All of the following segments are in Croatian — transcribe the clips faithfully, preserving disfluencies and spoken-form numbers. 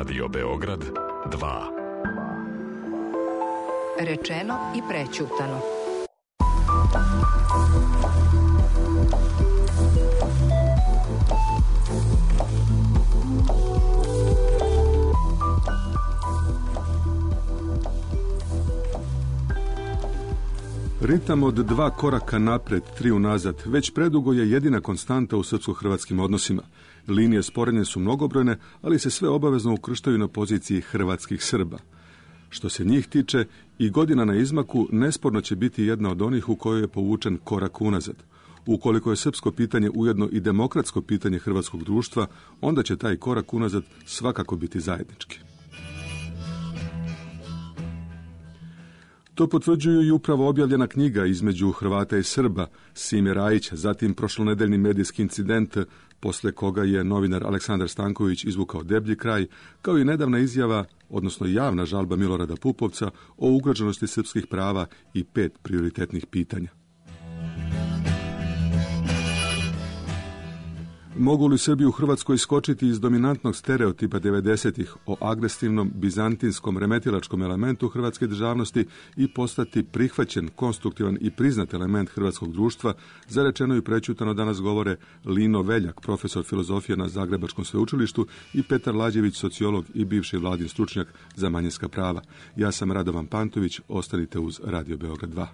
Radio Beograd dva. Rečeno i prećutano. Ritam od dva koraka napred, tri unazad, već predugo je jedina konstanta u srpsko-hrvatskim odnosima. Linije sporedne su mnogobrojne, ali se sve obavezno ukrštaju na poziciji hrvatskih Srba. Što se njih tiče, i godina na izmaku nesporno će biti jedna od onih u kojoj je povučen korak unazad. Ukoliko je srpsko pitanje ujedno i demokratsko pitanje hrvatskog društva, onda će taj korak unazad svakako biti zajednički. To potvrđuju i upravo objavljena knjiga između Hrvata i Srba, Sime Rajića, zatim prošlonedeljni medijski incident, posle koga je novinar Aleksandar Stanković izvukao deblji kraj, kao i nedavna izjava, odnosno javna žalba Milorada Pupovca o ugroženosti srpskih prava i pet prioritetnih pitanja. Mogu li Srbi u Hrvatskoj iskočiti iz dominantnog stereotipa devedesetih o agresivnom, bizantinskom, remetilačkom elementu hrvatske državnosti i postati prihvaćen, konstruktivan i priznat element hrvatskog društva, za rečeno i prećutano danas govore Lino Veljak, profesor filozofije na Zagrebačkom sveučilištu, i Petar Lađević, sociolog i bivši vladin stručnjak za manjinska prava. Ja sam Radovan Pantović, ostanite uz Radio Beograd dva.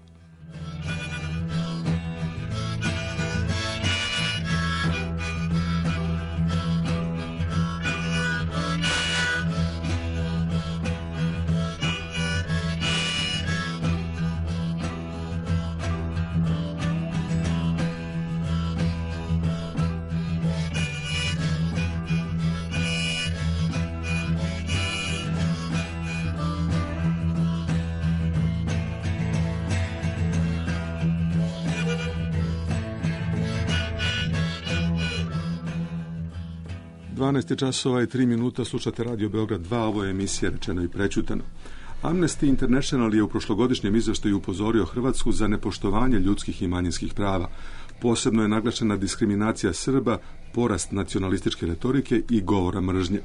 dvanaest časova i tri minuta, slušate Radio Beograd dva, ovo je emisija Rečeno i prećutano. Amnesty International je u prošlogodišnjem izveštaju upozorio Hrvatsku za nepoštovanje ljudskih i manjinskih prava. Posebno je naglašena diskriminacija Srba, porast nacionalističke retorike i govora mržnje.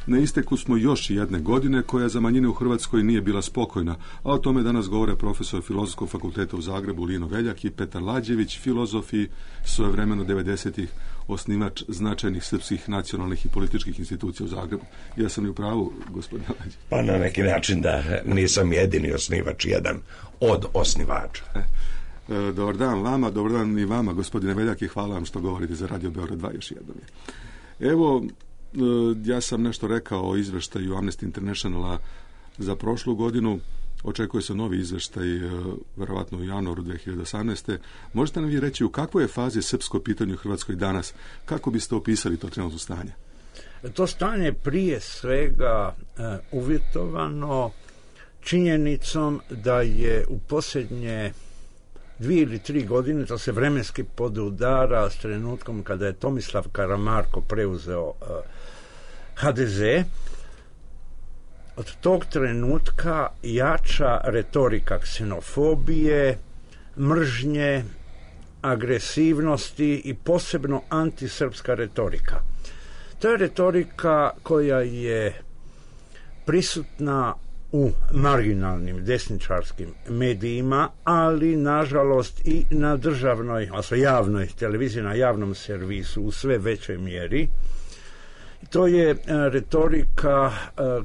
Na isteku smo još jedne godine koja za manjine u Hrvatskoj nije bila spokojna, a o tome danas govore profesor Filozofskog fakulteta u Zagrebu Lino Veljak i Petar Lađević, filozof i svojevremeno devedesetih osnivač značajnih srpskih nacionalnih i političkih institucija u Zagrebu. Ja sam i u pravu, gospodine Lađević? Pa na neki način da nisam jedini osnivač, jedan od osnivača. E, e, dobar dan vama, dobar dan i vama, gospodine Veljak, i hvala vam što govorite za Radio Beograd dva još jednom. Evo, ja sam nešto rekao o izveštaju Amnesty Internationala za prošlu godinu. Očekuje se novi izveštaj, verovatno u januaru dve hiljade osamnaeste. Možete nam vi reći u kakvoj je fazi srpsko pitanje u Hrvatskoj danas? Kako biste opisali to trenutno stanje? To stanje prije svega uh, uvjetovano činjenicom da je u posljednje dvije ili tri godine, to se vremenski podudara s trenutkom kada je Tomislav Karamarko preuzeo uh, ha de ze. Od tog trenutka jača retorika ksenofobije, mržnje, agresivnosti i posebno antisrpska retorika. To je retorika koja je prisutna u marginalnim desničarskim medijima, ali nažalost i na državnoj, odnosno javnoj televiziji, na javnom servisu u sve većoj mjeri. To je retorika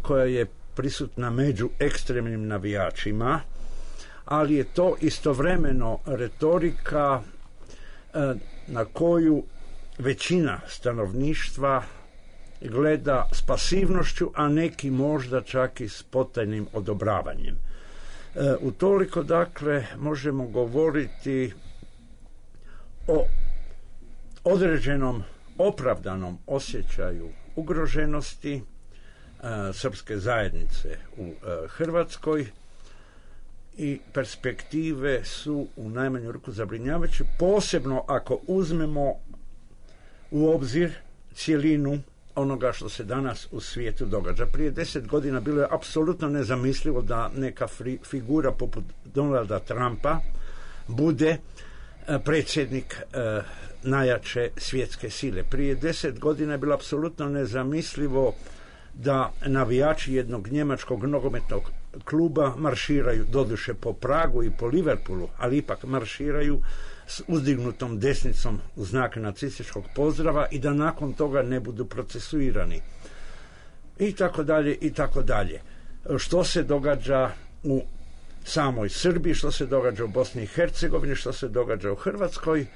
koja je prisutna među ekstremnim navijačima, ali je to istovremeno retorika na koju većina stanovništva gleda s pasivnošću, a neki možda čak i s potajnim odobravanjem. E, utoliko, dakle, možemo govoriti o određenom opravdanom osjećaju ugroženosti e, srpske zajednice u e, Hrvatskoj, i perspektive su u najmanju ruku zabrinjavajuće, posebno ako uzmemo u obzir cjelinu onoga što se danas u svijetu događa. Prije deset godina bilo je apsolutno nezamislivo da neka figura poput Donalda Trumpa bude predsjednik e, najjače svjetske sile. Prije deset godina je bilo apsolutno nezamislivo da navijači jednog njemačkog nogometnog kluba marširaju, doduše po Pragu i po Liverpoolu, ali ipak marširaju s uzdignutom desnicom u znak nacističkog pozdrava i da nakon toga ne budu procesuirani. I tako dalje, i tako dalje. Što se događa u samoj Srbiji, što se događa u Bosni i Hercegovini, što se događa u Hrvatskoj,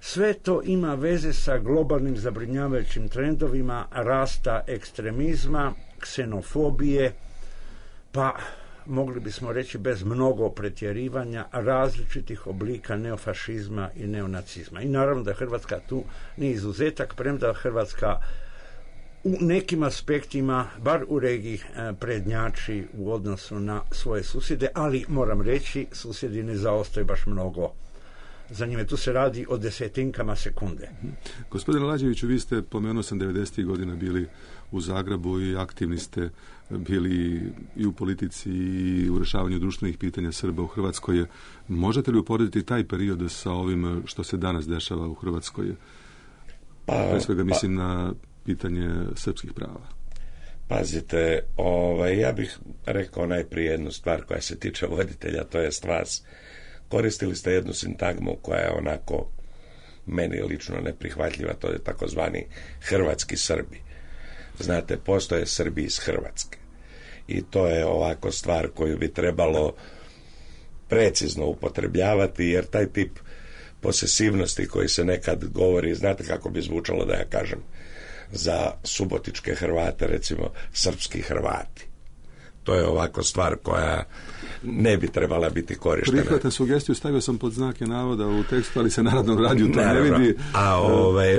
sve to ima veze sa globalnim zabrinjavajućim trendovima rasta ekstremizma, ksenofobije, pa mogli bismo reći bez mnogo pretjerivanja različitih oblika neofašizma i neonacizma. I naravno da Hrvatska tu nije izuzetak, premda Hrvatska u nekim aspektima, bar u regiji, prednjači u odnosu na svoje susjede, ali moram reći, susjedi ne zaostaju baš mnogo za njime. Tu se radi o desetinkama sekunde. Gospodine Lađeviću, vi ste, pomenuo sam, devedesetih godina bili u Zagrebu i aktivni ste bili i u politici i u rješavanju društvenih pitanja Srba u Hrvatskoj. Možete li uporediti taj period sa ovim što se danas dešava u Hrvatskoj? Pa, Pre svega mislim pa, na pitanje srpskih prava. Pazite, ovaj, ja bih rekao najprije jednu stvar koja se tiče voditelja, to jest vas. Koristili ste jednu sintagmu koja je onako meni lično neprihvatljiva, to je takozvani hrvatski Srbi. Znate, postoje Srbi iz Hrvatske i to je ovako stvar koju bi trebalo precizno upotrebljavati, jer taj tip posesivnosti koji se nekad govori, znate kako bi zvučalo da ja kažem za subotičke Hrvate, recimo srpski Hrvati. To je ovako stvar koja ne bi trebala biti korištena. Prihvatam sugestiju, stavio sam pod znake navoda u tekstu, ali se Narodnom radiju to ne vidi. A ovaj,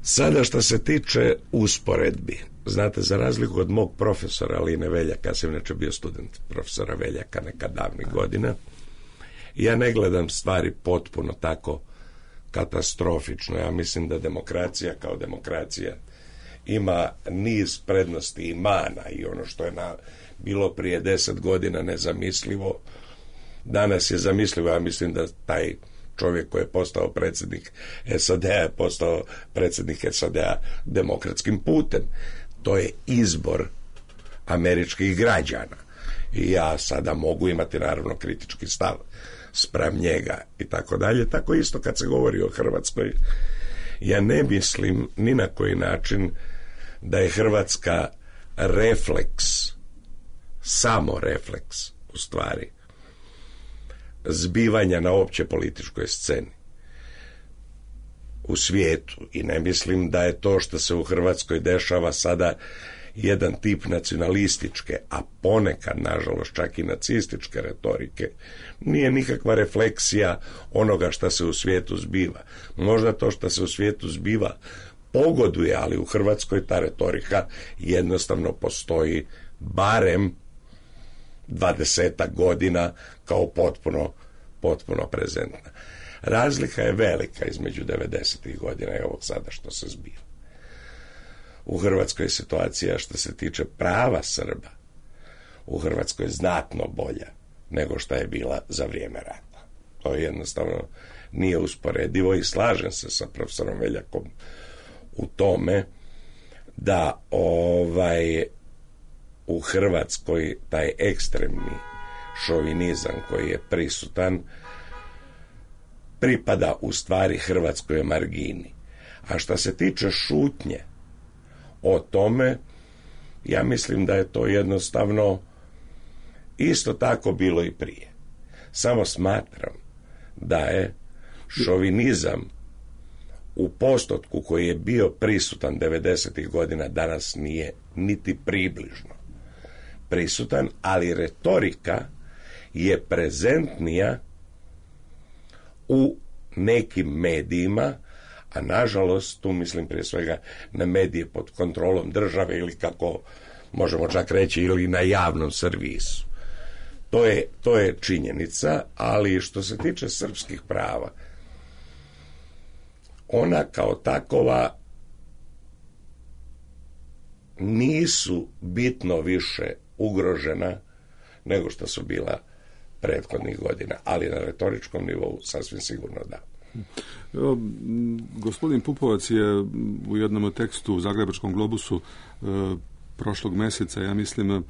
sada što se tiče usporedbi, znate, za razliku od mog profesora Line Veljaka, ja sam inače bio student profesora Veljaka nekad davnih godina, ja ne gledam stvari potpuno tako katastrofično. Ja mislim da demokracija kao demokracija ima niz prednosti i mana, i ono što je na, bilo prije deset godina nezamislivo, danas je zamislivo. Ja mislim da taj čovjek koji je postao predsjednik S A D-a je postao predsjednik S A D-a demokratskim putem. To je izbor američkih građana. I ja sada mogu imati naravno kritički stav spram njega i tako dalje. Tako isto kad se govori o Hrvatskoj, ja ne mislim ni na koji način da je Hrvatska refleks, samo refleks u stvari zbivanja na opće političkoj sceni u svijetu, i ne mislim da je to što se u Hrvatskoj dešava sada jedan tip nacionalističke, a ponekad nažalost čak i nacističke retorike, nije nikakva refleksija onoga što se u svijetu zbiva. Možda to što se u svijetu zbiva pogoduje, ali u Hrvatskoj ta retorika jednostavno postoji barem dvadesetak godina kao potpuno, potpuno prezentna. Razlika je velika između devedesetih godina i ovog sada što se zbiva. U Hrvatskoj je situacija što se tiče prava Srba u Hrvatskoj je znatno bolja nego što je bila za vrijeme rata. To jednostavno nije usporedivo i slažem se sa profesorom Veljakom u tome da ovaj u Hrvatskoj taj ekstremni šovinizam koji je prisutan pripada u stvari Hrvatskoj margini. A što se tiče šutnje o tome, ja mislim da je to jednostavno isto tako bilo i prije. Samo smatram da je šovinizam u postotku koji je bio prisutan devedesetih godina danas nije niti približno prisutan, ali retorika je prezentnija u nekim medijima, a nažalost tu mislim prije svega na medije pod kontrolom države ili kako možemo čak reći ili na javnom servisu. To je, to je činjenica, ali što se tiče srpskih prava, ona kao takova nisu bitno više ugrožena nego što su bila prethodnih godina, ali na retoričkom nivou sasvim sigurno da. Evo, gospodin Pupovac je u jednom tekstu u Zagrebačkom globusu e, prošlog mjeseca, ja mislim, e,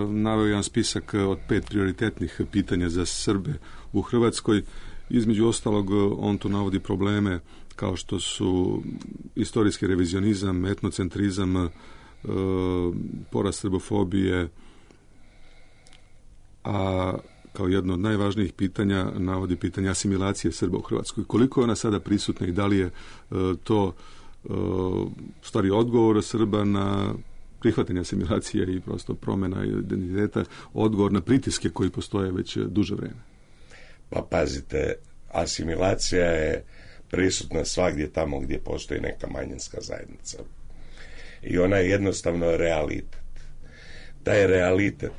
naveo jedan spisak od pet prioritetnih pitanja za Srbe u Hrvatskoj. Između ostalog, on tu navodi probleme kao što su istorijski revizionizam, etnocentrizam, e, porast srbofobije, a kao jedno od najvažnijih pitanja navodi pitanje asimilacije Srba u Hrvatskoj. Koliko je ona sada prisutna i da li je e, to e, stvari odgovor Srba na prihvatanje asimilacije i prosto promjena identiteta, odgovor na pritiske koji postoje već duže vrijeme? Pa pazite, asimilacija je prisutna svagdje tamo gdje postoji neka manjinska zajednica. I ona je jednostavno realitet. Taj realitet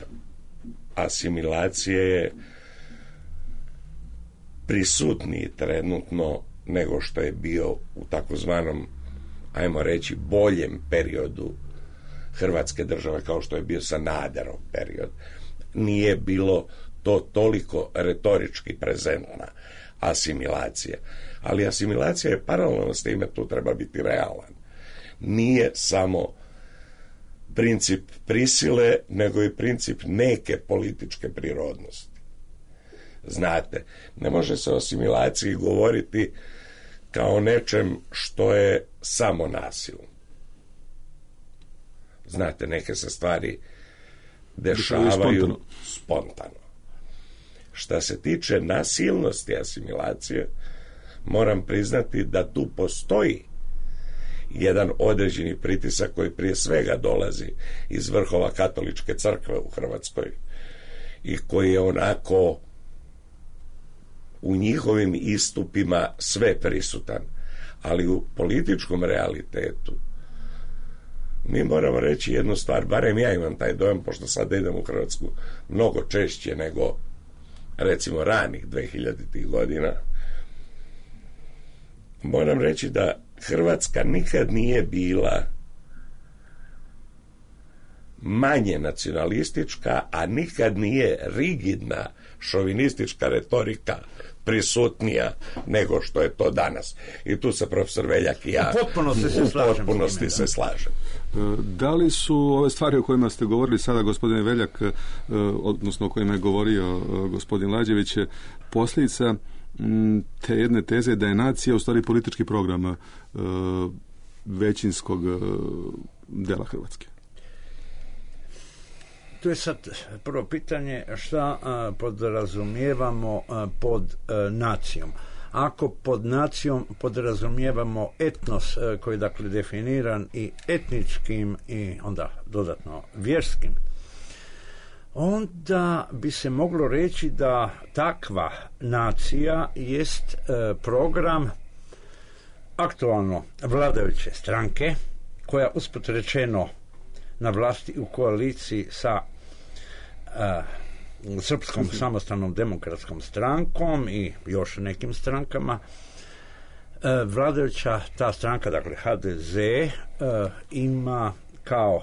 asimilacije je prisutniji trenutno nego što je bio u takozvanom, ajmo reći, boljem periodu Hrvatske države, kao što je bio Sanaderov period. Nije bilo to toliko retorički prezentna asimilacija. Ali asimilacija je paralelno s time, tu treba biti realan. Nije samo princip prisile, nego i princip neke političke prirodnosti. Znate, ne može se o asimilaciji govoriti kao nečem što je samo nasilno. Znate, neke se stvari dešavaju spontano. spontano. Šta se tiče nasilnosti asimilacije, moram priznati da tu postoji jedan određeni pritisak koji prije svega dolazi iz vrhova katoličke crkve u Hrvatskoj i koji je onako u njihovim istupima sve prisutan, ali u političkom realitetu mi moramo reći jednu stvar, barem ja imam taj dojam, pošto sad idem u Hrvatsku mnogo češće nego recimo ranih dvehiljaditih godina. Moram reći da Hrvatska nikad nije bila manje nacionalistička, a nikad nije rigidna šovinistička retorika prisutnija nego što je to danas. I tu se profesor Veljak i ja u potpunosti se slažem. Potpunosti se slažem. Da li su ove stvari o kojima ste govorili sada, gospodine Veljak, odnosno o kojima je govorio gospodin Lađević, posljedica te jedne teze da je nacija u stvari politički program većinskog dela Hrvatske? Tu je sad prvo pitanje šta a, podrazumijevamo a, pod a, nacijom. Ako pod nacijom podrazumijevamo etnos a, koji je dakle definiran i etničkim i onda dodatno vjerskim, onda bi se moglo reći da takva nacija jest a, program aktualno vladajuće stranke koja usput rečeno na vlasti u koaliciji sa uh, Srpskom samostalnom demokratskom strankom i još nekim strankama. Uh, vladajuća ta stranka, dakle ha de ze, uh, ima kao uh,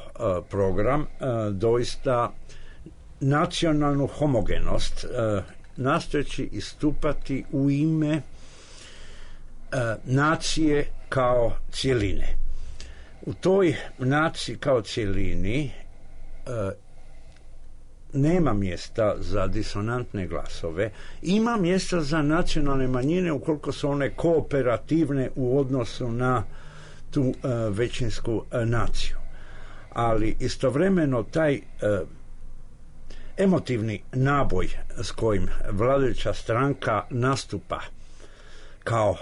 program uh, doista nacionalnu homogenost, uh, nastojeći istupati u ime uh, nacije kao cjeline. U toj naciji kao cjelini e, nema mjesta za disonantne glasove, ima mjesta za nacionalne manjine ukoliko su one kooperativne u odnosu na tu e, većinsku e, naciju. Ali istovremeno taj e, emotivni naboj s kojim vladajuća stranka nastupa kao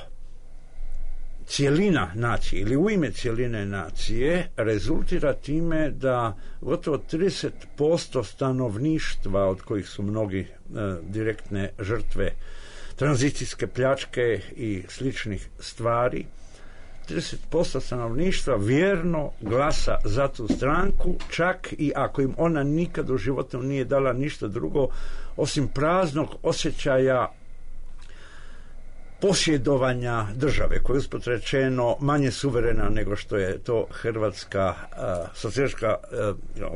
cjelina nacije ili u ime cjeline nacije rezultira time da gotovo trideset posto stanovništva, od kojih su mnogi e, direktne žrtve tranzicijske pljačke i sličnih stvari, trideset posto stanovništva vjerno glasa za tu stranku, čak i ako im ona nikad u životu nije dala ništa drugo osim praznog osjećaja posjedovanja države, koja je usput rečeno manje suverena nego što je to Hrvatska, uh, socijalistička,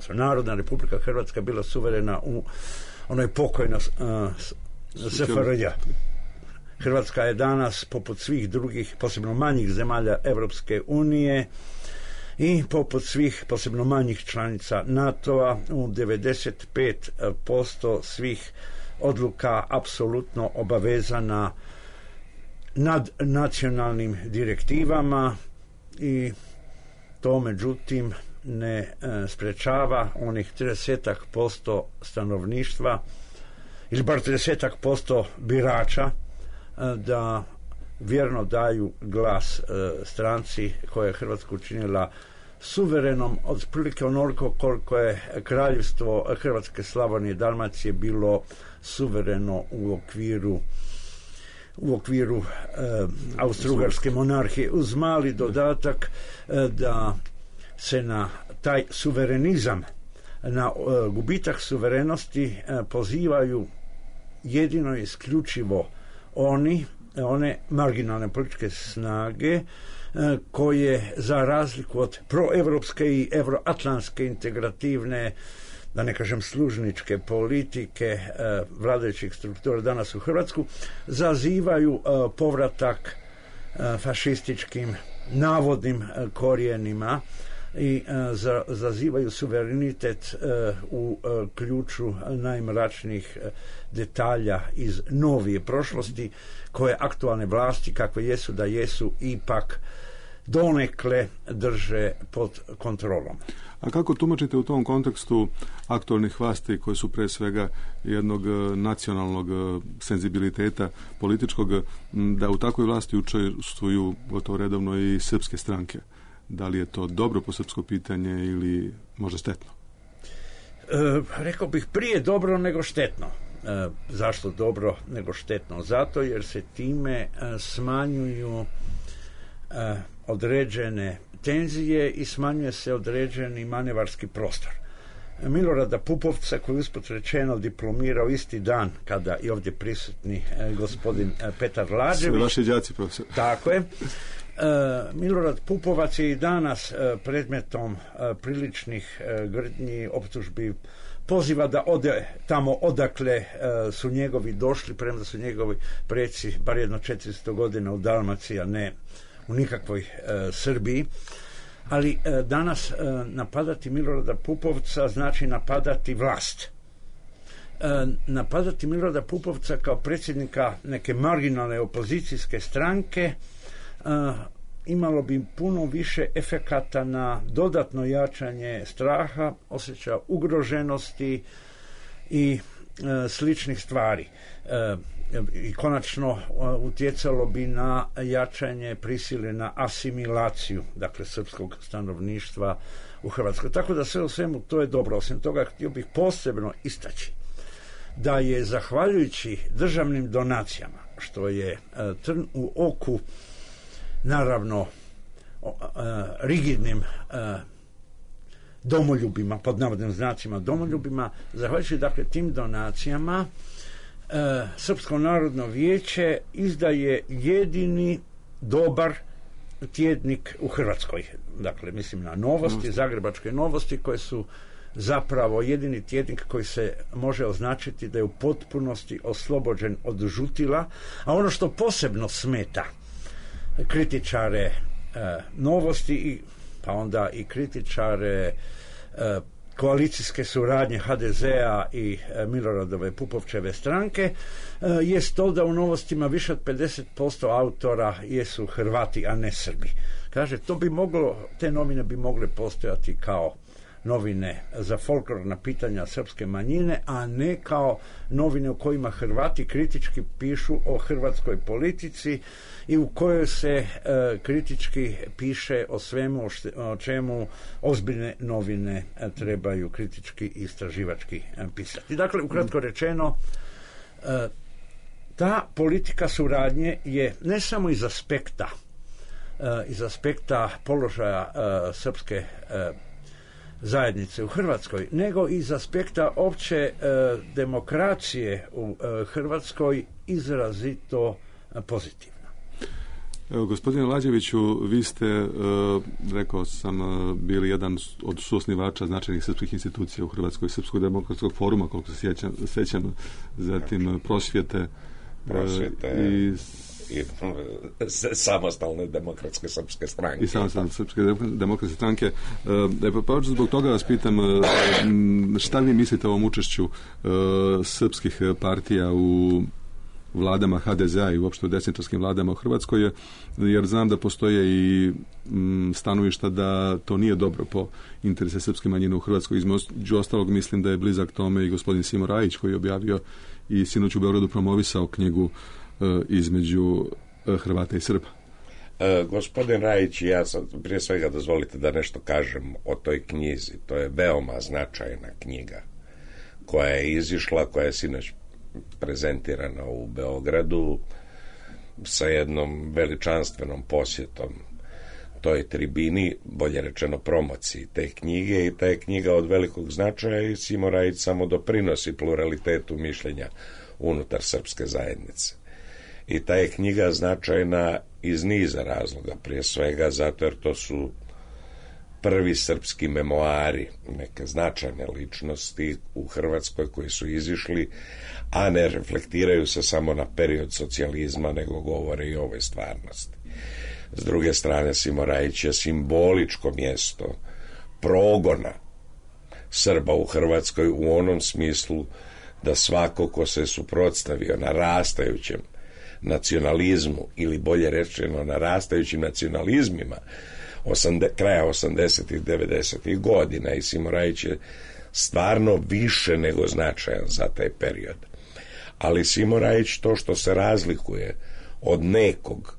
uh, narodna republika Hrvatska bila suverena u onoj pokojnoj uh, S F R J. Hrvatska je danas, poput svih drugih, posebno manjih zemalja Europske unije i poput svih, posebno manjih članica NATO-a, u devedeset pet posto svih odluka apsolutno obavezana nad nacionalnim direktivama i to međutim ne e, sprečava onih trideset posto stanovništva ili bar trideset posto birača e, da vjerno daju glas e, stranci koja je Hrvatsku učinila suverenom otprilike onoliko koliko je kraljevstvo Hrvatske, Slavonije i Dalmacije bilo suvereno u okviru u okviru e, Austro-Ugarske monarhije, uz mali dodatak e, da se na taj suverenizam, na e, gubitak suverenosti e, pozivaju jedino i isključivo oni, one marginalne političke snage e, koje za razliku od proevropske i euroatlantske integrativne, da ne kažem služničke politike e, vladajućih struktura danas u Hrvatsku, zazivaju e, povratak e, fašističkim navodnim e, korijenima i e, za, zazivaju suverenitet e, u e, ključu najmračnijih e, detalja iz novije prošlosti koje aktualne vlasti, kakve jesu da jesu, ipak donekle drže pod kontrolom. A kako tumačite u tom kontekstu aktualnih vlasti koji su pre svega jednog nacionalnog senzibiliteta političkog, da u takvoj vlasti učestvuju gotovo redovno i srpske stranke? Da li je to dobro po srpsko pitanje ili možda štetno? E, rekao bih prije dobro nego štetno. E, zašto dobro nego štetno? Zato jer se time e, smanjuju e, određene tenzije i smanjuje se određeni manevarski prostor. Milorada Pupovca, koji usput rečeno diplomirao isti dan kada i ovdje prisutni e, gospodin e, Petar Lađević. Sve vaši đaci, profesor. Tako je. E, Milorad Pupovac je i danas e, predmetom e, priličnih e, grdnji, optužbi, poziva da ode tamo odakle e, su njegovi došli, premda su njegovi preci bar jedno četiristo godina u Dalmaciji, a ne u nikakvoj e, Srbiji. Ali e, danas e, napadati Milorada Pupovca znači napadati vlast. E, napadati Milorada Pupovca kao predsjednika neke marginalne opozicijske stranke e, imalo bi puno više efekata na dodatno jačanje straha, osjećaja ugroženosti i e, sličnih stvari. E, i konačno utjecalo bi na jačanje prisile na asimilaciju, dakle srpskog stanovništva u Hrvatskoj. Tako da sve u svemu to je dobro. Osim toga htio bih posebno istaći da je zahvaljujući državnim donacijama, što je uh, trn u oku naravno uh, rigidnim uh, domoljubima, pod navodnim znacima domoljubima, zahvaljujući dakle tim donacijama E, Srpsko narodno vijeće izdaje jedini dobar tjednik u Hrvatskoj. Dakle, mislim na Novosti, Zagrebačke Novosti, koje su zapravo jedini tjednik koji se može označiti da je u potpunosti oslobođen od žutila, a ono što posebno smeta kritičare e, Novosti i pa onda i kritičare e, koalicijske suradnje ha de zea i e, Miloradove Pupovčeve stranke e, jest to da u Novostima više od pedeset posto autora jesu Hrvati, a ne Srbi. Kaže, to bi moglo, te novine bi mogle postojati kao novine za folklorna pitanja srpske manjine, a ne kao novine u kojima Hrvati kritički pišu o hrvatskoj politici i u kojoj se e, kritički piše o svemu o, šte, o čemu ozbiljne novine e, trebaju kritički i istraživački e, pisati. Dakle, ukratko rečeno, e, ta politika suradnje je ne samo iz aspekta e, iz aspekta položaja e, srpske e, zajednice u Hrvatskoj, nego iz aspekta opće e, demokracije u e, Hrvatskoj izrazito e, pozitivna. Evo, gospodine Lađeviću, vi ste, e, rekao sam, e, bili jedan od suosnivača značajnih srpskih institucija u Hrvatskoj, Srpskog demokratskog foruma, koliko se sjećam, sjećam zatim prosvjete, prosvjete i, i samostalne demokratske srpske stranke. I samostalne srpske demokratske stranke. E, pa, pa zbog toga vas pitam, šta vi mislite o ovom učešću e, srpskih partija u vladama ha de zea i uopšte u desničarskim vladama u Hrvatskoj, jer znam da postoje i m, stanovišta da to nije dobro po interese srpske manjine u Hrvatskoj. Između ostalog mislim da je blizak tome i gospodin Simo Rajić, koji je objavio i sinoć u Beogradu promovisao knjigu e, između e, Hrvata i Srba. E, gospodin Rajić i ja sad prije svega dozvolite da nešto kažem o toj knjizi. To je veoma značajna knjiga koja je izišla, koja je sinoć prezentirana u Beogradu sa jednom veličanstvenom posjetom toj tribini, bolje rečeno promociji te knjige, i ta je knjiga od velikog značaja i Simo Rajić samo doprinosi pluralitetu mišljenja unutar srpske zajednice. I ta je knjiga značajna iz niza razloga, prije svega zato jer to su prvi srpski memoari neke značajne ličnosti u Hrvatskoj koji su izišli, a ne reflektiraju se samo na period socijalizma, nego govore i o ovoj stvarnosti. S druge strane, Simo Rajić je simboličko mjesto progona Srba u Hrvatskoj u onom smislu da svako ko se suprotstavio narastajućem nacionalizmu, ili bolje rečeno narastajućim nacionalizmima osande, kraja osamdesetih devedesetih godina, i Simo Rajić je stvarno više nego značajan za taj period. Ali Simo Rajić, to što se razlikuje od nekog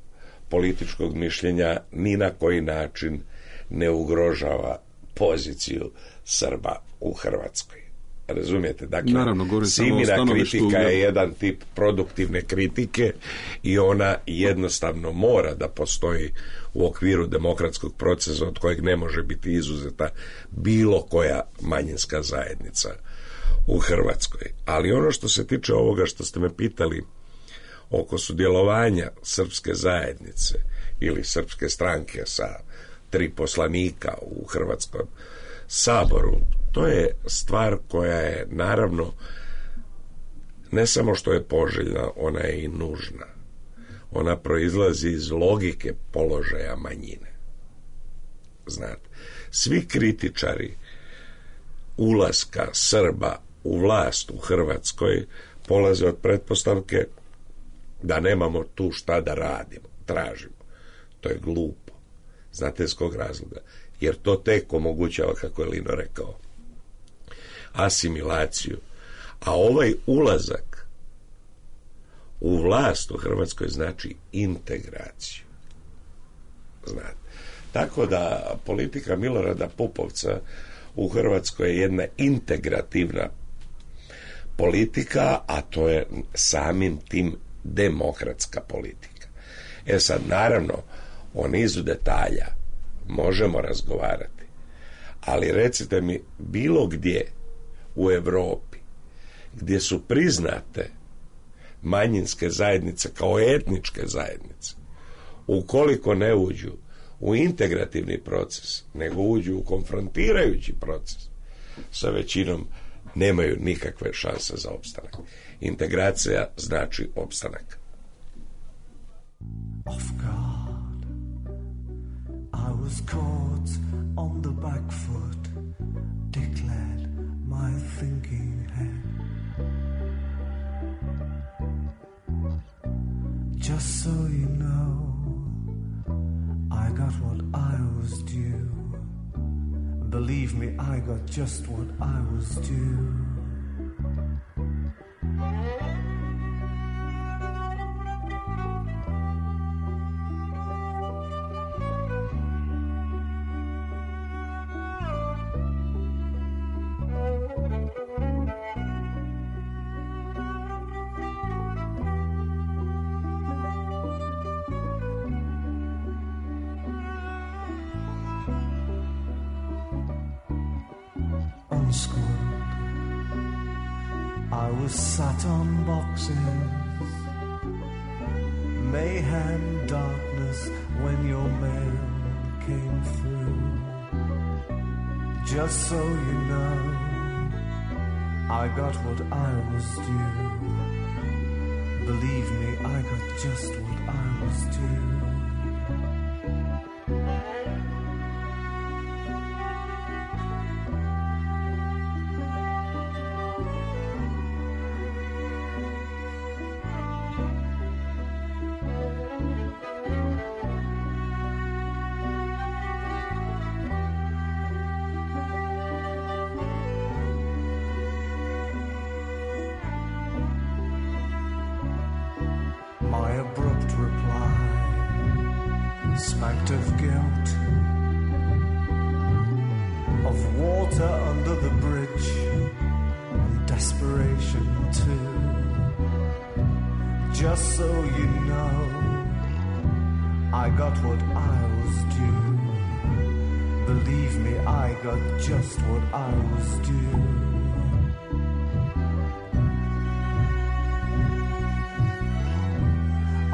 političkog mišljenja, ni na koji način ne ugrožava poziciju Srba u Hrvatskoj. Razumijete? Dakle, naravno, Simina kritika je jedan tip produktivne kritike i ona jednostavno mora da postoji u okviru demokratskog procesa od kojeg ne može biti izuzeta bilo koja manjinska zajednica u Hrvatskoj. Ali ono što se tiče ovoga što ste me pitali oko sudjelovanja srpske zajednice ili srpske stranke sa tri poslanika u Hrvatskom saboru, to je stvar koja je naravno ne samo što je poželjna, ona je i nužna. Ona proizlazi iz logike položaja manjine. Znate, svi kritičari ulaska Srba u vlast u Hrvatskoj polaze od pretpostavke da nemamo tu šta da radimo, tražimo. To je glupo. Znate s kog razloga? Jer to tek omogućava, kako je Lino rekao, asimilaciju. A ovaj ulazak u vlast u Hrvatskoj znači integraciju. Znate. Tako da politika Milorada Pupovca u Hrvatskoj je jedna integrativna politika, a to je samim tim demokratska politika. E sad, naravno, o nizu detalja možemo razgovarati, ali recite mi bilo gdje u Europi gdje su priznate manjinske zajednice kao etničke zajednice, ukoliko ne uđu u integrativni proces, nego uđu u konfrontirajući proces sa većinom, nemaju nikakve šanse za opstanak. Integracija znači opstanak. Off guard, I was caught on the back foot, declared my thinking head. Just so you know, I got what I was due. Believe me, I got just what I was due. I was sat on boxes, mayhem, darkness, when your mail came through. Just so you know, I got what I was due. Believe me, I got just what I was due. My abrupt reply smacked of guilt, of water under the bridge, and desperation too. Just so you know, I got what I was due. Believe me, I got just what I was due.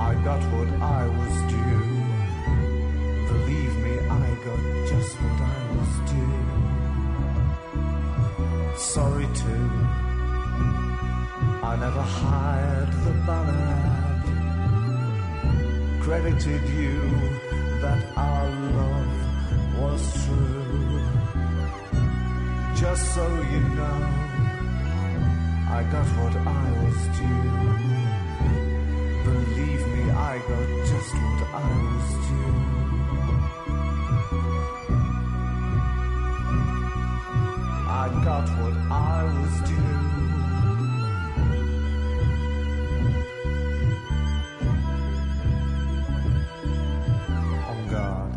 I got what I was due. Believe me, I got just what I was due. Sorry too, I never hired the banner ad. Credited you that our love was true. Just so you know, I got what I was due. Believe me, I got just what I was due. I got what I was due. On guard.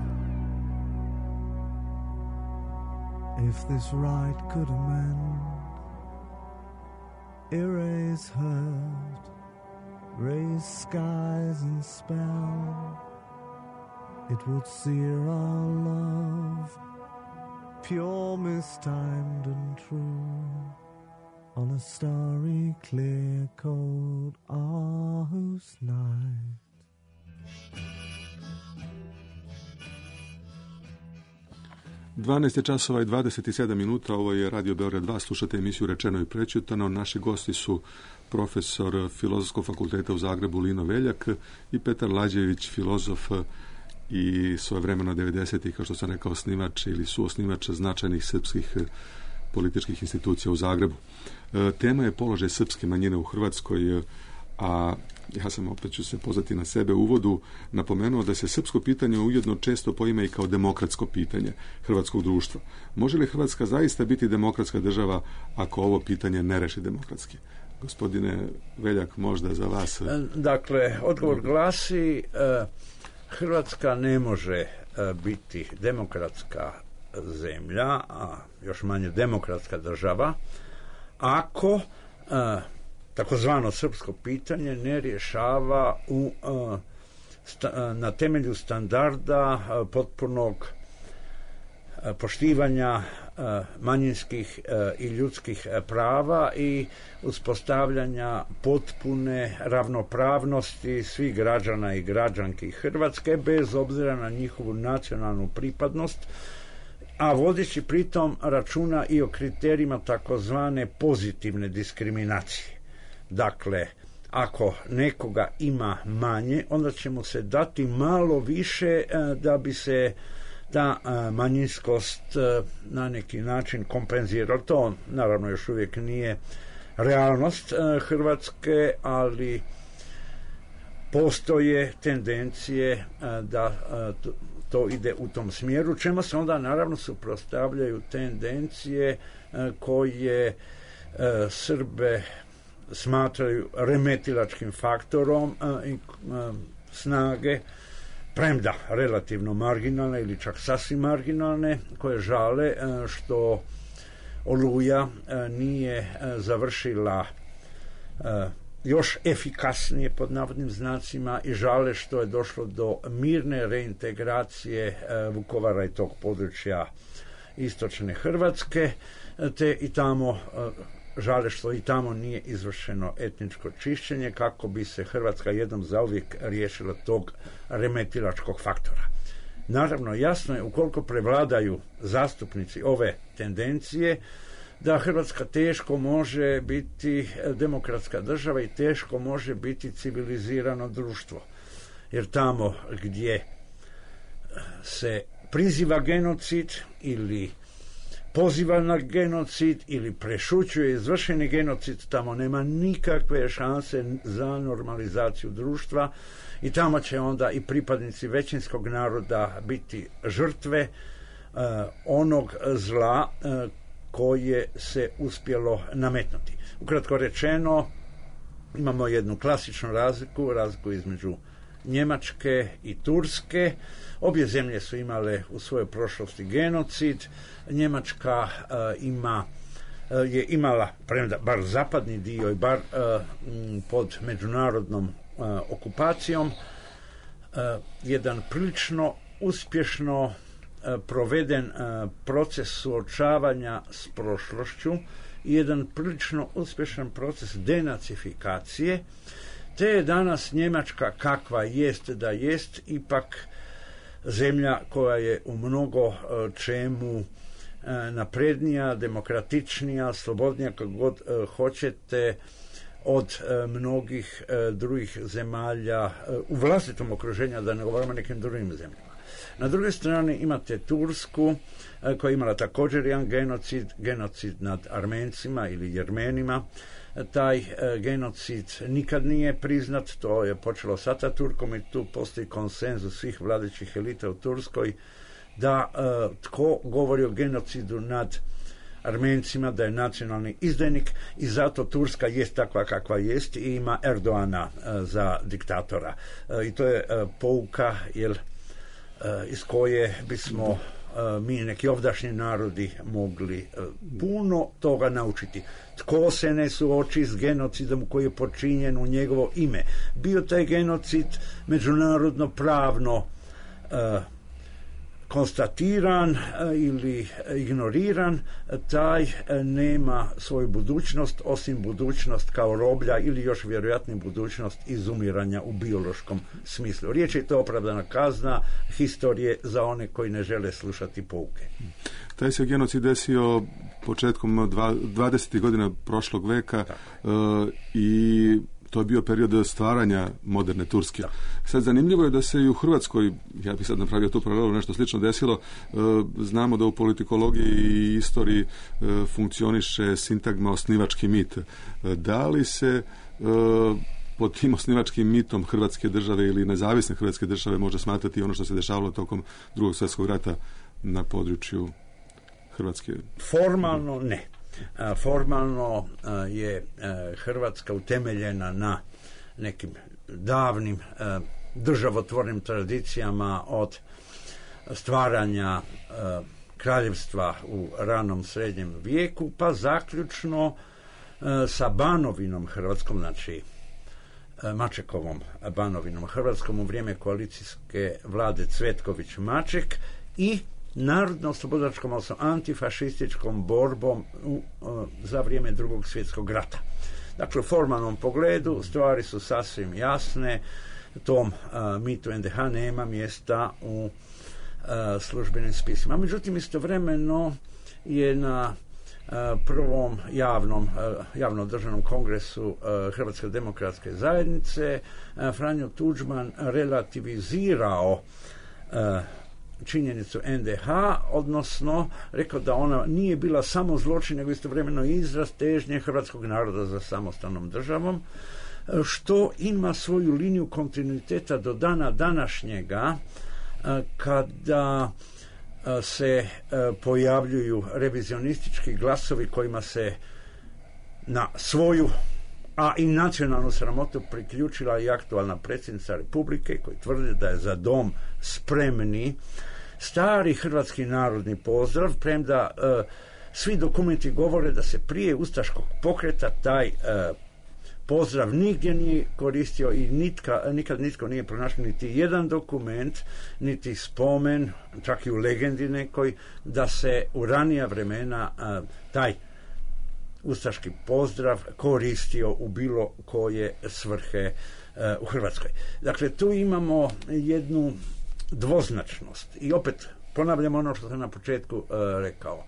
If this right could amend, erase hurt, raise skies and spell, it would sear our love, pure, mistimed and true, on a starry, clear, cold Aarhus night. dvanaest je časova i dvadeset sedam minuta, ovo je Radio Beograd dva, slušate emisiju Rečeno i prečutano. Naši gosti su profesor Filozofskog fakulteta u Zagrebu Lino Veljak i Petar Lađević, filozof i svojevremeno devedesetih, kao što sam rekao, osnivač ili suosnivač značajnih srpskih političkih institucija u Zagrebu. Tema je položaj srpske manjine u Hrvatskoj, a ja sam, opet ću se pozvati na sebe, u uvodu napomenuo da se srpsko pitanje ujedno često poima i kao demokratsko pitanje hrvatskog društva. Može li Hrvatska zaista biti demokratska država ako ovo pitanje ne reši demokratski? Gospodine Veljak, možda za vas. Dakle, odgovor glasi, Hrvatska ne može biti demokratska zemlja, a još manje demokratska država, ako takozvano srpsko pitanje ne rješava u, na temelju standarda potpunog poštivanja manjinskih i ljudskih prava i uspostavljanja potpune ravnopravnosti svih građana i građanki Hrvatske bez obzira na njihovu nacionalnu pripadnost, a vodeći pritom računa i o kriterijima takozvane pozitivne diskriminacije. Dakle, ako nekoga ima manje, onda će mu se dati malo više da bi se ta manjinskost na neki način kompenzirala. To naravno još uvijek nije realnost Hrvatske, ali postoje tendencije da to ide u tom smjeru, čemu se onda naravno suprotstavljaju tendencije koje Srbe smatraju remetilačkim faktorom i snage, premda relativno marginalne ili čak sasvim marginalne, koje žale što Oluja nije završila još efikasnije pod navodnim znacima i žale što je došlo do mirne reintegracije Vukovara i tog područja istočne Hrvatske, te i tamo žale što i tamo nije izvršeno etničko čišćenje kako bi se Hrvatska jednom zauvijek riješila tog remetilačkog faktora. Naravno, jasno je, ukoliko prevladaju zastupnici ove tendencije, da Hrvatska teško može biti demokratska država i teško može biti civilizirano društvo. Jer tamo gdje se priziva genocid ili poziva na genocid ili prešućuje izvršeni genocid, tamo nema nikakve šanse za normalizaciju društva i tamo će onda i pripadnici većinskog naroda biti žrtve uh, onog zla uh, koje se uspjelo nametnuti. Ukratko rečeno, imamo jednu klasičnu razliku, razliku između Njemačke i Turske. Obje zemlje su imale u svojoj prošlosti genocid. Njemačka uh, ima uh, je imala, premda bar zapadni dio i bar uh, m, pod međunarodnom uh, okupacijom, uh, jedan prilično uspješno uh, proveden uh, proces suočavanja s prošlošću i jedan prilično uspješan proces denacifikacije, te je danas Njemačka kakva jest da jest ipak zemlja koja je u mnogo čemu naprednija, demokratičnija, slobodnija, kako god hoćete, od mnogih drugih zemalja u vlastitom okruženju, da ne govorimo o nekim drugim zemljama. Na drugoj strani imate Tursku, koja je imala također jedan genocid, genocid nad Armencima ili Jermenima. Taj e, genocid nikad nije priznat, to je počelo s Ataturkom i tu postoji konsenzus svih vladajućih elita u Turskoj da e, tko govori o genocidu nad Armencima da je nacionalni izdajnik i zato Turska jest takva kakva jest i ima Erdoana e, za diktatora. E, I to je e, pouka jel, e, iz koje bismo mi neki ovdašnji narodi mogli puno toga naučiti. Tko se ne suoči s genocidom koji je počinjen u njegovo ime? Bio taj genocid međunarodno pravno uh, konstatiran uh, ili ignoriran, taj uh, nema svoju budućnost osim budućnost kao roblja ili još vjerojatnije budućnost izumiranja u biološkom smislu. Riječ je to opravdana kazna historije za one koji ne žele slušati pouke. Taj se genocid desio početkom dvadesetih godina prošlog veka uh, i to je bio period stvaranja moderne Turske. Da. Sad zanimljivo je da se i u Hrvatskoj, ja bih sad napravio tu paralelu, nešto slično desilo. E, znamo da u politikologiji i istoriji e, funkcioniše sintagma osnivački mit. E, da li se e, pod tim osnivačkim mitom Hrvatske države ili nezavisne Hrvatske države može smatrati ono što se dešavalo tokom Drugog svjetskog rata na području Hrvatske? Formalno ne. Formalno je Hrvatska utemeljena na nekim davnim državotvornim tradicijama od stvaranja kraljevstva u ranom srednjem vijeku pa zaključno sa Banovinom Hrvatskom, znači Mačekovom Banovinom Hrvatskom u vrijeme koalicijske vlade Cvetković-Maček i narodno-slobodačkom, odnosno antifašističkom borbom u, uh, za vrijeme Drugog svjetskog rata. Dakle, u formalnom pogledu stvari su sasvim jasne, tom uh, mitu en de ha nema mjesta u uh, službenim spisima. Međutim, istovremeno je na uh, prvom javnom, uh, javno državnom kongresu uh, Hrvatske demokratske zajednice uh, Franjo Tuđman relativizirao uh, činjenicu en de ha, odnosno rekao da ona nije bila samo zločin, nego istovremeno izraz težnje hrvatskog naroda za samostalnom državom, što ima svoju liniju kontinuiteta do dana današnjega, kada se pojavljuju revizionistički glasovi kojima se na svoju a i nacionalnu sramotu priključila i aktualna predsjednica Republike koji tvrdi da je za dom spremni stari hrvatski narodni pozdrav, premda e, svi dokumenti govore da se prije ustaškog pokreta taj e, pozdrav nigdje nije koristio i nitka, nikad nitko nije pronašao niti jedan dokument, niti spomen, čak i u legendi nekoj, da se u ranija vremena e, taj ustaški pozdrav koristio u bilo koje svrhe uh, u Hrvatskoj. Dakle, tu imamo jednu dvoznačnost i opet ponavljam ono što sam na početku uh, rekao.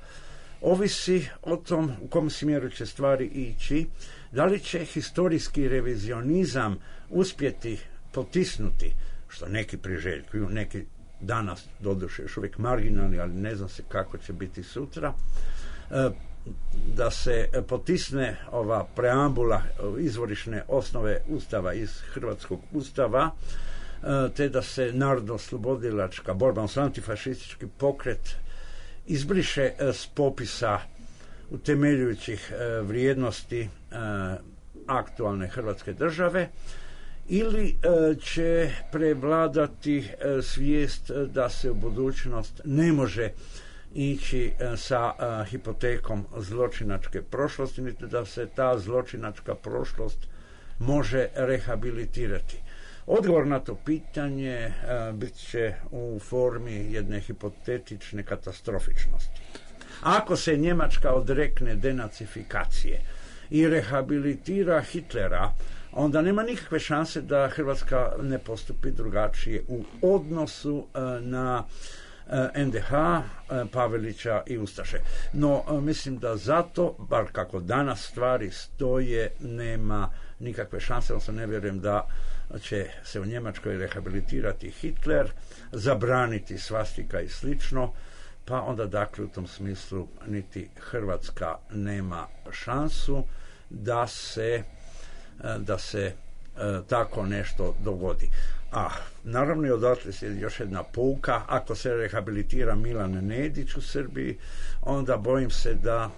ovisi o tom u kom smjeru će stvari ići, da li će historijski revizionizam uspjeti potisnuti, što neki priželjkuju, neki danas doduše još uvijek marginalni, ali ne znam se kako će biti sutra, da se potisne ova preambula, izvorišne osnove Ustava iz Hrvatskog Ustava, te da se narodno-slobodilačka borba, odnosno antifašistički pokret izbriše s popisa utemeljujućih vrijednosti aktualne Hrvatske države, ili će prevladati svijest da se u budućnost ne može ići sa hipotekom zločinačke prošlosti, niti da se ta zločinačka prošlost može rehabilitirati. Odgovor na to pitanje bit će u formi jedne hipotetične katastrofičnosti. Ako se Njemačka odrekne denacifikacije i rehabilitira Hitlera, onda nema nikakve šanse da Hrvatska ne postupi drugačije u odnosu na en de ha, Pavelića i Ustaše. No, mislim da zato, bar kako danas stvari stoje, nema nikakve šanse, odnosno ne vjerujem da će se u Njemačkoj rehabilitirati Hitler, zabraniti svastika i slično, pa onda dakle u tom smislu niti Hrvatska nema šansu da se da se e, tako nešto dogodi. A naravno i odatle je još jedna pouka, ako se rehabilitira Milan Nedić u Srbiji, onda bojim se da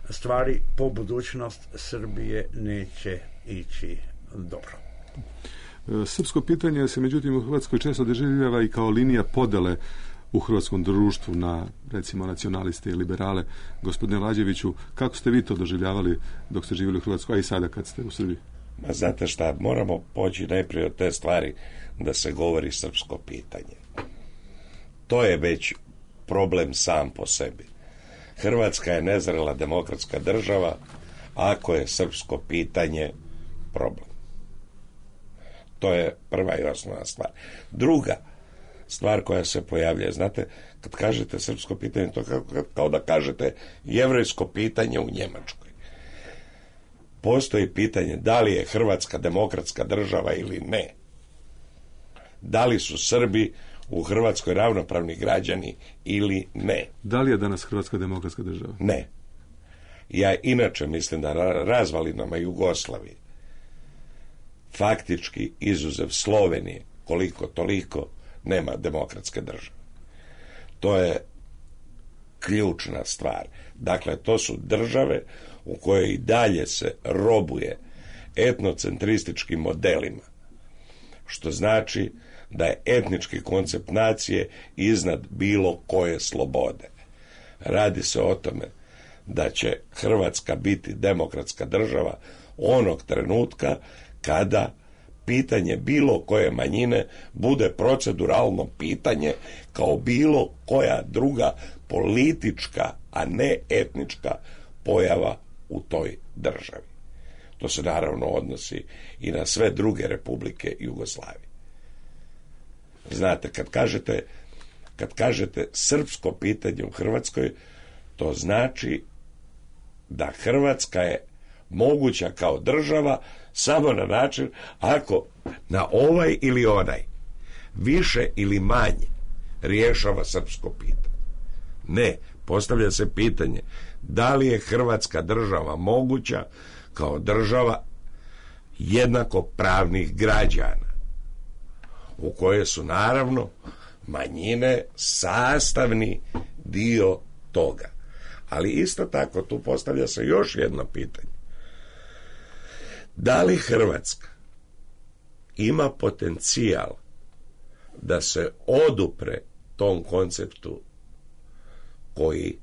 stvari po budućnost Srbije neće ići dobro. Srpsko pitanje se međutim u Hrvatskoj često doživljava i kao linija podele u hrvatskom društvu na, recimo, nacionaliste i liberale. Gospodine Lađeviću, kako ste vi to doživljavali dok ste živjeli u Hrvatskoj, a i sada kad ste u Srbiji? Ma znate šta, moramo poći najprije od te stvari da se govori srpsko pitanje. To je već problem sam po sebi. Hrvatska je nezrela demokratska država ako je srpsko pitanje problem. To je prva i osnovna stvar. Druga stvar koja se pojavlja, znate, kad kažete srpsko pitanje, to kao, kao da kažete jevrejsko pitanje u Njemačkoj. Postoji pitanje da li je Hrvatska demokratska država ili ne. Da li su Srbi u Hrvatskoj ravnopravni građani ili ne. Da li je danas Hrvatska demokratska država? Ne. Ja inače mislim da na razvalinama Jugoslavije, faktički izuzev Slovenije, koliko toliko, nema demokratske države. To je ključna stvar. Dakle, to su države u kojoj i dalje se robuje etnocentrističkim modelima, što znači da je etnički koncept nacije iznad bilo koje slobode. Radi se o tome da će Hrvatska biti demokratska država onog trenutka kada pitanje bilo koje manjine bude proceduralno pitanje kao bilo koja druga politička, a ne etnička pojava u toj državi. To se naravno odnosi i na sve druge republike Jugoslavije. Znate, kad kažete, kad kažete srpsko pitanje u Hrvatskoj, to znači da Hrvatska je moguća kao država samo na način ako na ovaj ili onaj više ili manje rješava srpsko pitanje. Ne, postavlja se pitanje da li je Hrvatska država moguća kao država jednako pravnih građana, u koje su naravno manjine sastavni dio toga. Ali isto tako tu postavlja se još jedno pitanje. Da li Hrvatska ima potencijal da se odupre tom konceptu koji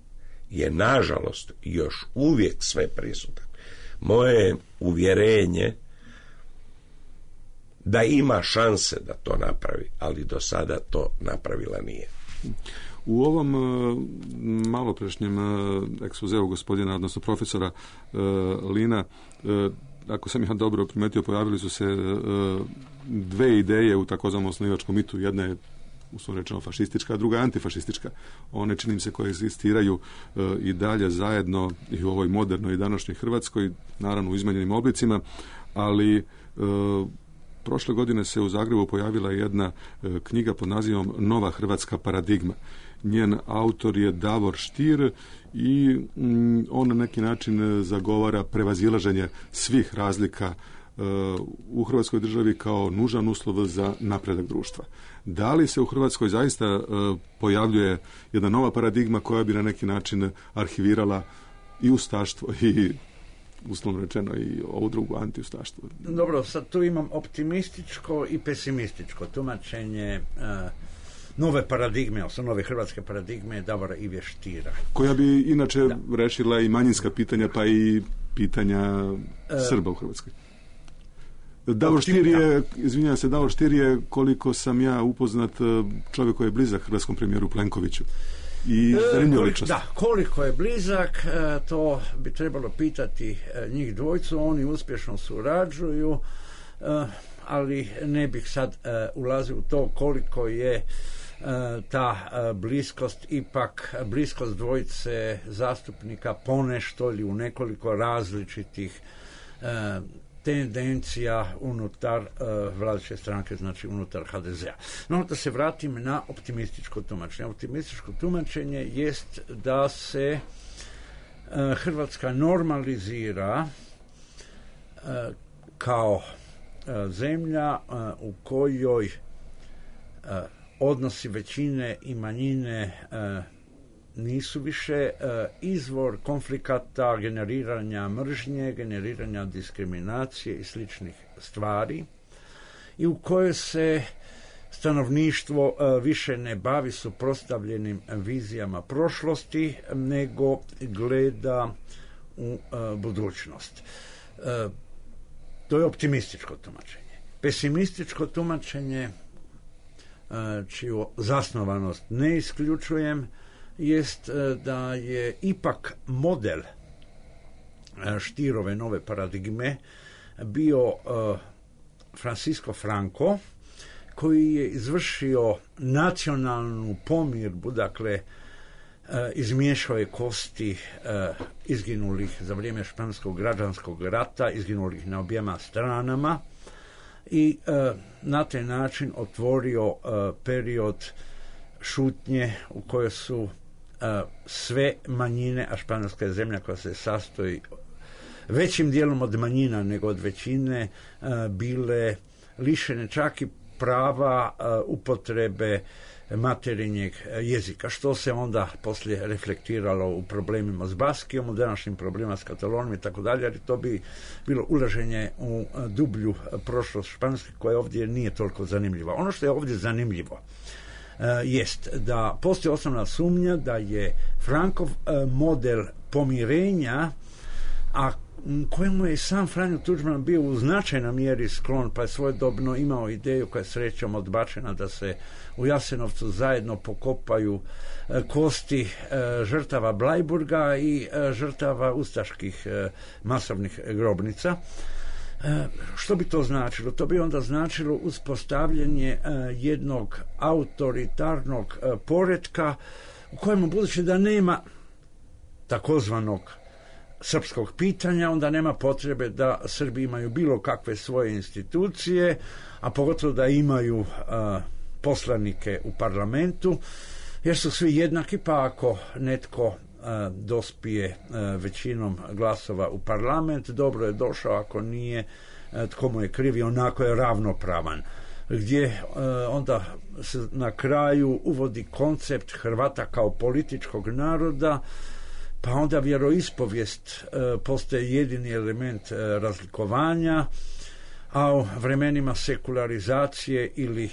je nažalost još uvijek sve prisutan? Moje je uvjerenje da ima šanse da to napravi, ali do sada to napravila nije. U ovom uh, maloprešnjem uh, ekspozeu gospodina, odnosno profesora uh, Lina, uh, ako sam ja dobro primetio, pojavili su se uh, dve ideje u takozvanom osnivačkom mitu. Jedna je uslovno rečeno fašistička, a druga je antifašistička. One, čini mi se, koje egzistiraju e, i dalje zajedno i u ovoj modernoj i današnjoj Hrvatskoj, naravno u izmenjenim oblicima, ali e, prošle godine se u Zagrebu pojavila jedna e, knjiga pod nazivom Nova hrvatska paradigma. Njen autor je Davor Stier i mm, on na neki način zagovara prevazilaženje svih razlika e, u Hrvatskoj državi kao nužan uslov za napredak društva. Da li se u Hrvatskoj zaista e, pojavljuje jedna nova paradigma koja bi na neki način arhivirala i ustaštvo i uslovno rečeno i ovu drugu antiustaštvo? Dobro, sad tu imam optimističko i pesimističko tumačenje uh, nove paradigme, odnosno nove hrvatske paradigme Davora Ive Stiera. Koja bi inače da. rešila i manjinska pitanja, pa i pitanja uh, Srba u Hrvatskoj. Davor Stier je, izvinjavam se, Davor Stier je, koliko sam ja upoznat, čovjek koji je blizak hrvatskom premijeru Plenkoviću. I zanimljiva ličnost. Da, koliko je blizak, to bi trebalo pitati njih dvojcu, oni uspješno surađuju, ali ne bih sad ulazio u to koliko je ta bliskost, ipak bliskost dvojice zastupnika ponešto ili u nekoliko različitih tendencija unutar uh, vladajuće stranke, znači unutar ha de zea. No, da se vratim na optimističko tumačenje. Optimističko tumačenje jest da se uh, Hrvatska normalizira uh, kao uh, zemlja uh, u kojoj uh, odnosi većine i manjine uh, nisu više uh, izvor konflikata, generiranja mržnje, generiranja diskriminacije i sličnih stvari, i u kojoj se stanovništvo uh, više ne bavi suprotstavljenim vizijama prošlosti, nego gleda u uh, budućnost. Uh, to je optimističko tumačenje. Pesimističko tumačenje, uh, čiju zasnovanost ne isključujem, jest da je ipak model Stierove nove paradigme bio uh, Francisco Franco, koji je izvršio nacionalnu pomirbu, dakle uh, izmiješao je kosti uh, izginulih za vrijeme španskog građanskog rata, izginulih na objema stranama, i uh, na taj način otvorio uh, period šutnje u kojoj su uh, sve manjine, a Španjolska je zemlja koja se sastoji većim dijelom od manjina nego od većine, uh, bile lišene čak i prava uh, upotrebe materinjeg jezika, što se onda poslije reflektiralo u problemima s Baskijom, u današnjim problemima s Katalonijom i tako dalje, jer to bi bilo ulaženje u dublju prošlost Španjolske, koja ovdje nije toliko zanimljiva. Ono što je ovdje zanimljivo uh, jest da postoji osnovna sumnja da je Frankov uh, model pomirenja, a kojemu je sam Franjo Tuđman bio u značajnoj mjeri sklon, pa je svojedobno imao ideju koja je srećom odbačena, da se u Jasenovcu zajedno pokopaju e, kosti e, žrtava Blajburga i e, žrtava ustaških e, masovnih grobnica. E, što bi to značilo? To bi onda značilo uspostavljanje e, jednog autoritarnog e, poretka u kojemu, budući da nema takozvanog srpskog pitanja, onda nema potrebe da Srbi imaju bilo kakve svoje institucije, a pogotovo da imaju a, poslanike u parlamentu, jer su svi jednaki, pa ako netko a, dospije a, većinom glasova u parlament, dobro je došao, ako nije, a, tko mu je kriv, onako je ravnopravan. Gdje a, onda se na kraju uvodi koncept Hrvata kao političkog naroda, pa onda vjeroispovijest e, postaje jedini element e, razlikovanja, a u vremenima sekularizacije, ili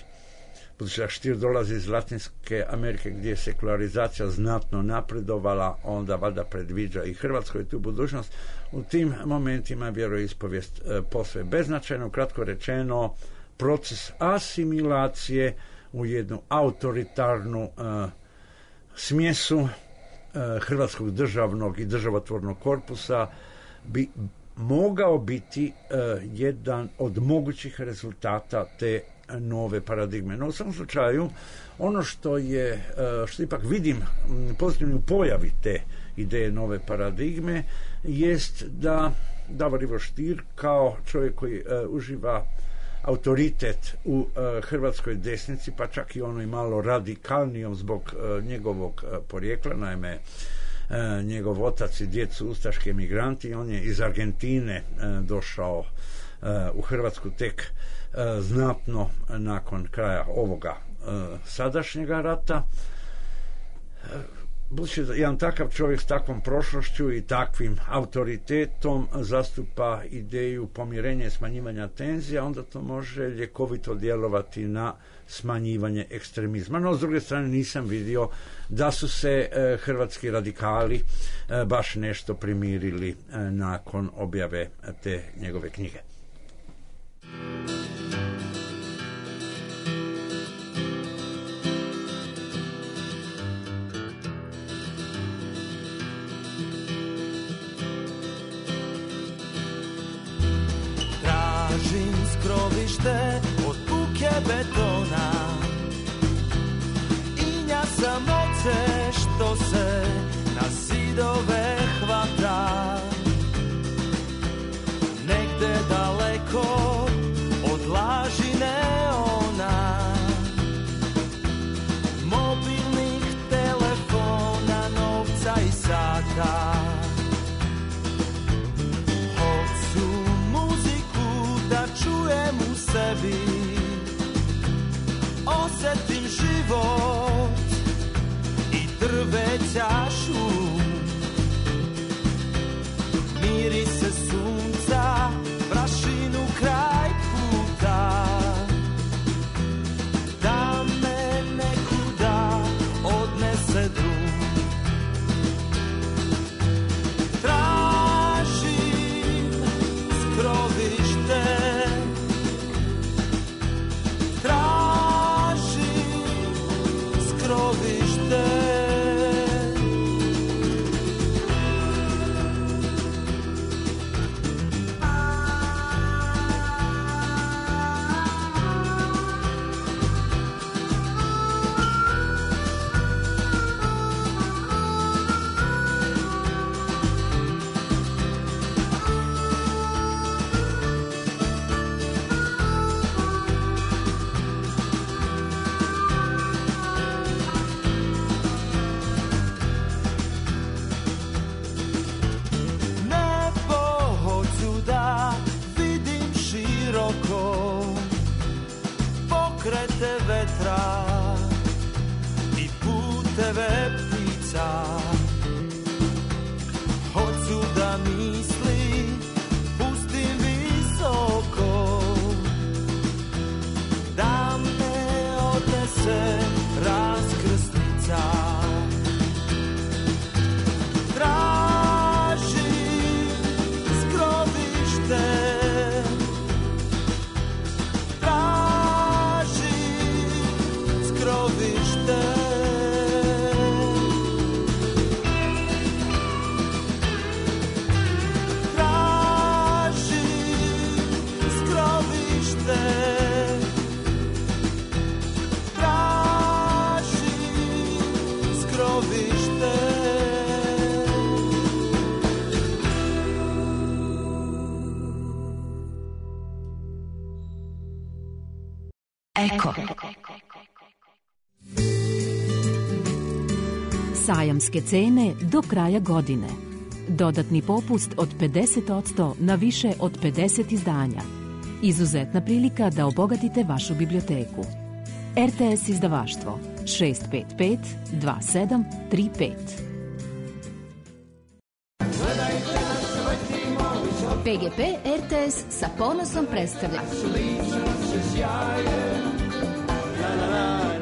budući da Stier dolazi iz Latinske Amerike gdje je sekularizacija znatno napredovala, onda valjda predviđa i Hrvatskoj tu budućnost, u tim momentima vjeroispovijest e, posve beznačajno, kratko rečeno proces asimilacije u jednu autoritarnu e, smjesu hrvatskog državnog i državotvornog korpusa bi mogao biti uh, jedan od mogućih rezultata te nove paradigme. No u svom slučaju, ono što je, što ipak vidim pozitivno u pojavi te ideje nove paradigme, jest da Davor Ivo Stier kao čovjek koji uh, uživa autoritet u uh, hrvatskoj desnici, pa čak i onoj malo radikalnijom zbog uh, njegovog uh, porijekla, naime uh, njegov otac i djed su ustaški emigranti, on je iz Argentine uh, došao uh, u Hrvatsku tek uh, znatno nakon kraja ovoga uh, sadašnjega rata. Uh, Budući da jedan takav čovjek s takvom prošlošću i takvim autoritetom zastupa ideju pomirenja i smanjivanja tenzija, onda to može ljekovito djelovati na smanjivanje ekstremizma. No, s druge strane, nisam vidio da su se e, hrvatski radikali e, baš nešto primirili e, nakon objave te njegove knjige. Skrovište od buke betona i nja samoće što se na zidove hvata. Negde daleko od laži neona, mobilnih telefona, novca i sata. Čujem u sebi, osjetim život i drveća šum, mirise sunca, prašinu kraj puta, da me nekuda odnese drum. Tražim skrovište, i puteve ptica. Hoću da misli pustim visoko, da me odnese raskrsnica. Tražim skrovište, Eko. Sajamske cene do kraja godine. Dodatni popust od pedeset posto na više od pedeset izdanja. Izuzetna prilika da obogatite vašu biblioteku. R T S izdavaštvo šest pet pet dva sedam tri pet. P G P R T S sa ponosom predstavlja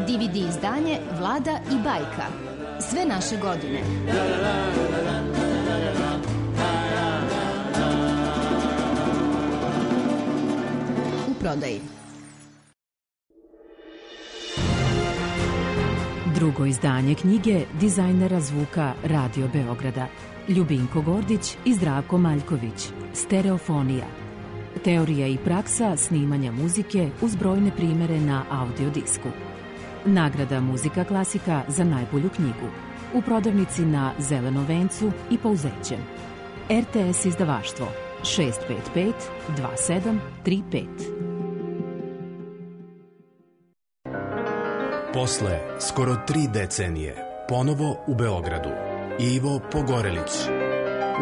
D V D izdanje Vlada i bajka. Sve naše godine. U prodaji. Drugo izdanje knjige dizajnera zvuka Radio Beograda Ljubinko Gordić i Zdravko Maljković. Stereofonija. Teorija i praksa snimanja muzike uz brojne primere na audiodisku. Nagrada Muzika klasika za najbolju knjigu. U prodavnici na Zelenom vencu i Pouzećem. R T S izdavaštvo šest pet pet dva sedam tri pet. Posle skoro tri decenije, ponovo u Beogradu, Ivo Pogorelić,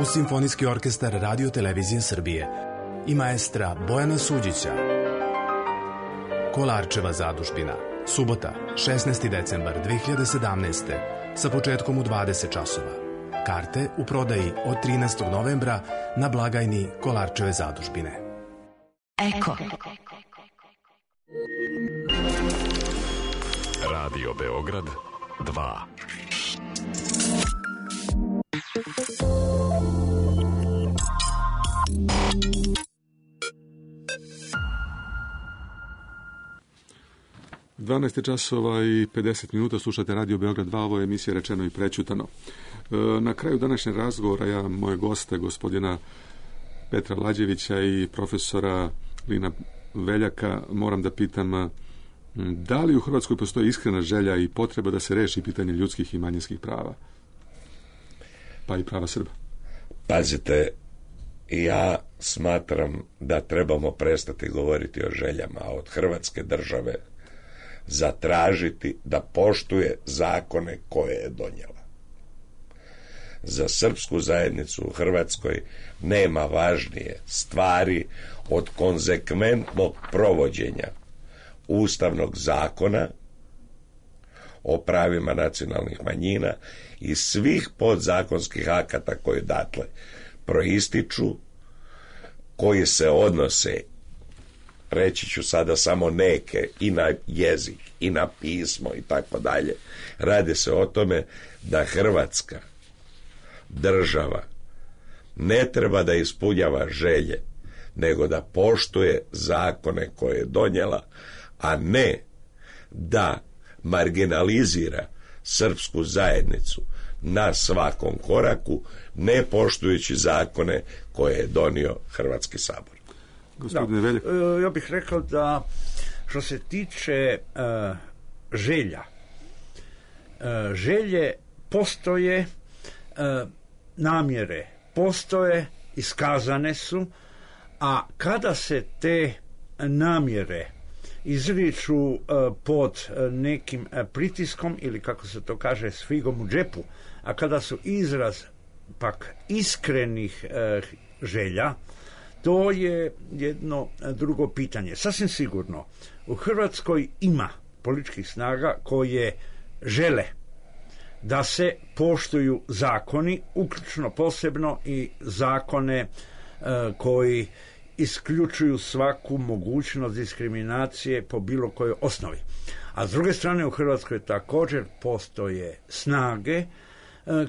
uz Simfonijski orkestar Radio Televizije Srbije i maestra Bojana Suđića. Kolarčeva zadužbina, subota, šesnaesti decembar dve hiljade sedamnaeste. sa početkom u dvadeset časova. Karte u prodaji od trinaestog novembra na blagajni Kolarčeve zadužbine. Eko. Radio Beograd dva. dvanaest časova i pedeset minuta, slušate Radio Beograd dva, ovo je emisija Rečeno i prećutano. Na kraju današnjeg razgovora ja, moje goste, gospodina Petra Lađevića i profesora Lina Veljaka, moram da pitam da li u Hrvatskoj postoji iskrena želja i potreba da se reši pitanje ljudskih i manjinskih prava, pa i prava Srba? Pazite, ja smatram da trebamo prestati govoriti o željama, a od Hrvatske države zatražiti da poštuje zakone koje je donijela. Za srpsku zajednicu u Hrvatskoj nema važnije stvari od konzekventnog provođenja Ustavnog zakona o pravima nacionalnih manjina i svih podzakonskih akata koji datle proističu, koji se odnose, reći ću sada samo neke, i na jezik, i na pismo, i tako dalje. Radi se o tome da Hrvatska država ne treba da ispunjava želje, nego da poštuje zakone koje je donijela, a ne da marginalizira srpsku zajednicu na svakom koraku, ne poštujući zakone koje je donio Hrvatski sabor. Gospodine Veljak. Ja bih rekao da što se tiče uh, želja, uh, želje postoje, uh, namjere postoje, iskazane su, a kada se te namjere izriču uh, pod uh, nekim uh, pritiskom ili kako se to kaže s figom u džepu, a kada su izraz pak iskrenih uh, želja, to je jedno drugo pitanje. Sasvim sigurno, u Hrvatskoj ima političkih snaga koje žele da se poštuju zakoni, uključno posebno i zakone e, koji isključuju svaku mogućnost diskriminacije po bilo kojoj osnovi. A s druge strane, u Hrvatskoj također postoje snage e,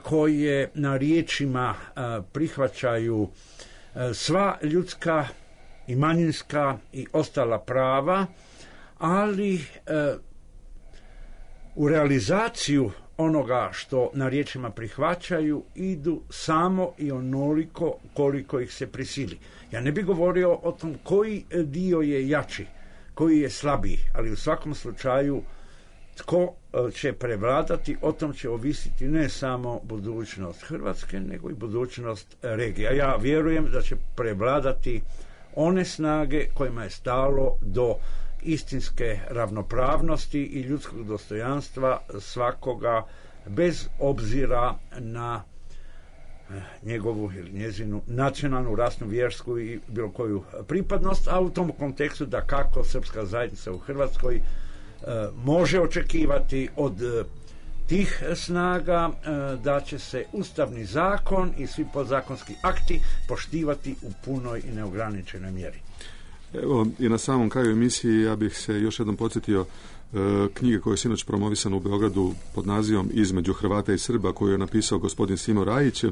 koje na riječima e, prihvaćaju sva ljudska i manjinska i ostala prava, ali e, u realizaciju onoga što na riječima prihvaćaju idu samo i onoliko koliko ih se prisili. Ja ne bih govorio o tom koji dio je jači, koji je slabiji, ali u svakom slučaju tko će prevladati, o tom će ovisiti ne samo budućnost Hrvatske, nego i budućnost regija. Ja vjerujem da će prevladati one snage kojima je stalo do istinske ravnopravnosti i ljudskog dostojanstva svakoga, bez obzira na njegovu ili njezinu nacionalnu, rasnu, vjersku i bilo koju pripadnost, a u tom kontekstu da kako srpska zajednica u Hrvatskoj može očekivati od tih snaga da će se ustavni zakon i svi podzakonski akti poštivati u punoj i neograničenoj mjeri. Evo, i na samom kraju emisije ja bih se još jednom podsjetio e, knjige koje je sinoć promovisana u Beogradu pod nazivom Između Hrvata i Srba, koju je napisao gospodin Simo Rajić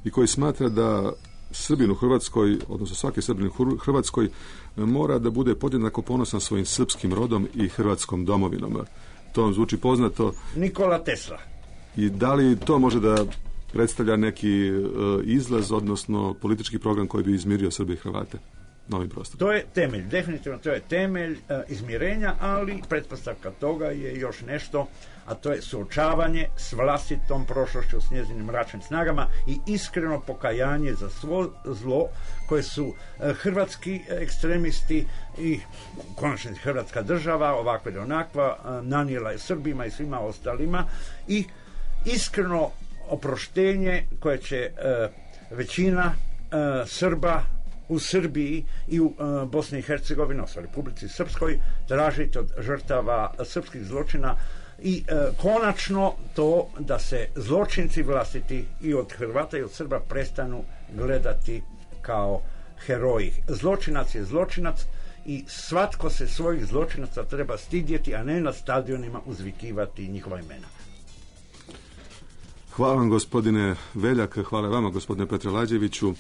i koji smatra da Srbin u Hrvatskoj, odnosno svaki Srbin u Hrvatskoj, mora da bude podjednako ponosan svojim srpskim rodom i hrvatskom domovinom. To vam zvuči poznato. Nikola Tesla. I da li to može da predstavlja neki uh, izlaz, odnosno politički program koji bi izmirio Srbe i Hrvate? novim prostorom. To je temelj, definitivno to je temelj e, izmirenja, ali pretpostavka toga je još nešto, a to je suočavanje s vlastitom prošlošću, s njezinim mračnim snagama i iskreno pokajanje za svo zlo koje su e, hrvatski ekstremisti i konačno hrvatska država, ovakva ili onakva, e, nanijela je Srbima i svima ostalima, i iskreno oproštenje koje će e, većina e, Srba u Srbiji i u e, Bosni i Hercegovini, odnosno Republici Srpskoj, tražiti od žrtava srpskih zločina i e, konačno to da se zločinci vlastiti i od Hrvata i od Srba prestanu gledati kao heroji. Zločinac je zločinac i svatko se svojih zločinaca treba stidjeti, a ne na stadionima uzvikivati njihova imena. Hvala vam, gospodine Veljak, hvala vama, gospodine Petre Lađeviću.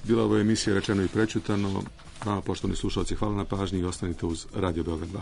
Bila ovo emisija Rečeno i prečutano. Vama, poštovani slušalci, hvala na pažnji i ostanite uz Radio Beograd dva.